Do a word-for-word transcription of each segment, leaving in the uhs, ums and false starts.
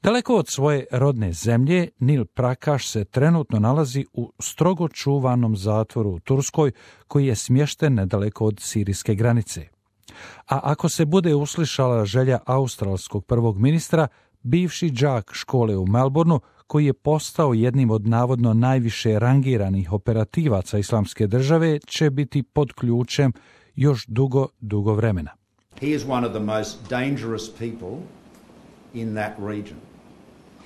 Daleko od svoje rodne zemlje, Nil Prakash se trenutno nalazi u strogo čuvanom zatvoru u Turskoj, koji je smješten nedaleko od sirijske granice. A ako se bude uslišala želja australskog prvog ministra, bivši đak škole u Melbourneu, koji je postao jednim od navodno najviše rangiranih operativaca Islamske države, će biti pod ključem još dugo, dugo vremena. He is one of the most dangerous people in that region.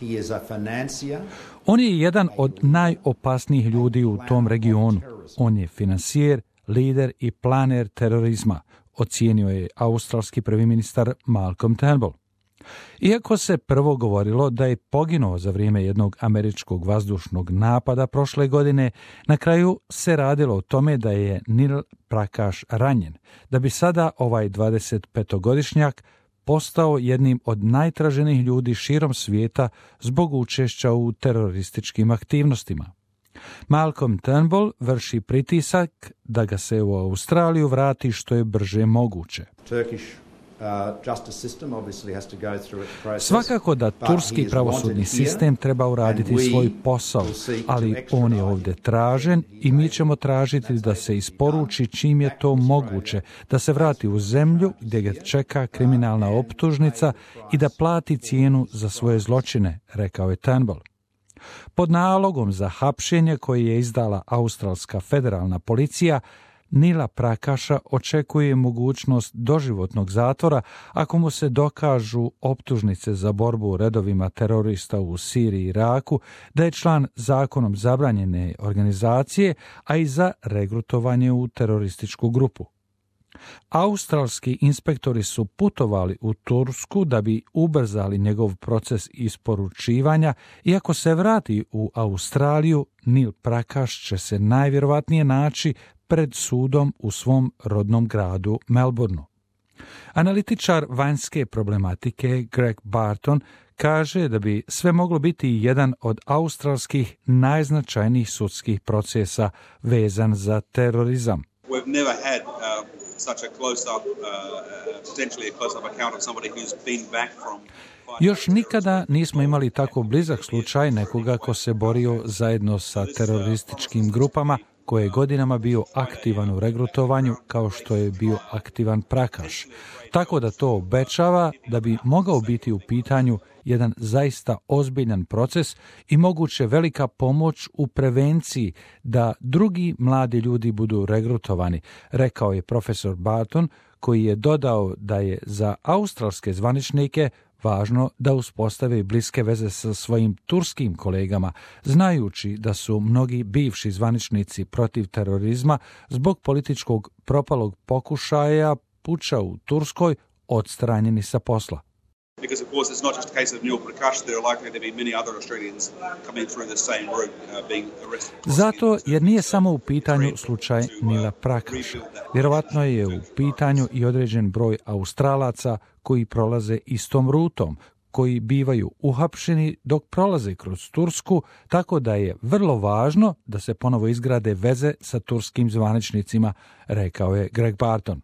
He is a financier. On je jedan od najopasnijih ljudi u tom regionu. On je finansijer, lider i planer terorizma, ocijenio je australski prvi ministar Malcolm Turnbull. Iako se prvo govorilo da je poginuo za vrijeme jednog američkog vazdušnog napada prošle godine, na kraju se radilo o tome da je Nil Prakash ranjen, da bi sada ovaj dvadesetpetogodišnjak postao jednim od najtraženijih ljudi širom svijeta zbog učešća u terorističkim aktivnostima. Malcolm Turnbull vrši pritisak da ga se u Australiju vrati što je brže moguće. Turkish uh, justice system obviously has to go through its process. Svakako da turski pravosudni sistem treba uraditi svoj posao, ali on je ovdje tražen i mi ćemo tražiti da se isporuči čim je to moguće, da se vrati u zemlju gdje ga čeka kriminalna optužnica i da plati cijenu za svoje zločine, rekao je Turnbull. Pod nalogom za hapšenje koje je izdala australska federalna policija, Nila Prakasha očekuje mogućnost doživotnog zatvora ako mu se dokažu optužnice za borbu u redovima terorista u Siriji i Iraku, da je član zakonom zabranjene organizacije, a i za regrutovanje u terorističku grupu. Australski inspektori su putovali u Tursku da bi ubrzali njegov proces isporučivanja i ako se vrati u Australiju, Nil Prakash će se najvjerovatnije naći pred sudom u svom rodnom gradu Melbourneu. Analitičar vanjske problematike Greg Barton kaže da bi sve moglo biti jedan od australskih najznačajnijih sudskih procesa vezan za terorizam. We've never had uh, such a close-up, uh, potentially a close-up account of somebody who's been back from... Još nikada nismo imali tako blizak slučaj nekoga ko se borio zajedno sa terorističkim grupama, koji je godinama bio aktivan u regrutovanju kao što je bio aktivan Prakash. Tako da to obećava da bi mogao biti u pitanju jedan zaista ozbiljan proces i moguće velika pomoć u prevenciji da drugi mladi ljudi budu regrutovani, rekao je profesor Barton, koji je dodao da je za australske zvaničnike važno da uspostave bliske veze sa svojim turskim kolegama, znajući da su mnogi bivši zvaničnici protiv terorizma zbog političkog propalog pokušaja puča u Turskoj odstranjeni sa posla. Because of course it's not just a case of Nil Prakash, there are likely to be many other Australians coming through the same route, uh, being arrested. Zato jer nije samo u pitanju slučaj Nila Prakasha. Vjerovatno je u pitanju i određen broj Australaca koji prolaze istom rutom, koji bivaju uhapšeni dok prolaze kroz Tursku, tako da je vrlo važno da se ponovo izgrade veze sa turskim zvaničnicima, rekao je Greg Barton.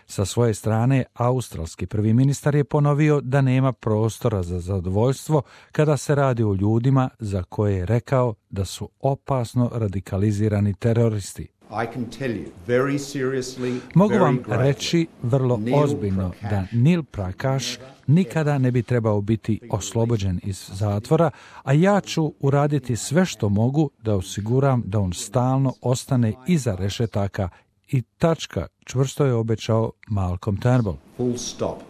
Sa svoje strane, australski prvi ministar je ponovio da nema prostora za zadovoljstvo kada se radi o ljudima za koje je rekao da su opasno radikalizirani teroristi. I can tell you very seriously, Mogu very vam gravely, reći vrlo Nil ozbiljno Prakash da Nil Prakash nikada ne bi trebao biti oslobođen iz zatvora, a ja ću uraditi sve što mogu da osiguram da on stalno ostane iza rešetaka i tačka, čvrsto je obećao Malcolm Turnbull. full stop.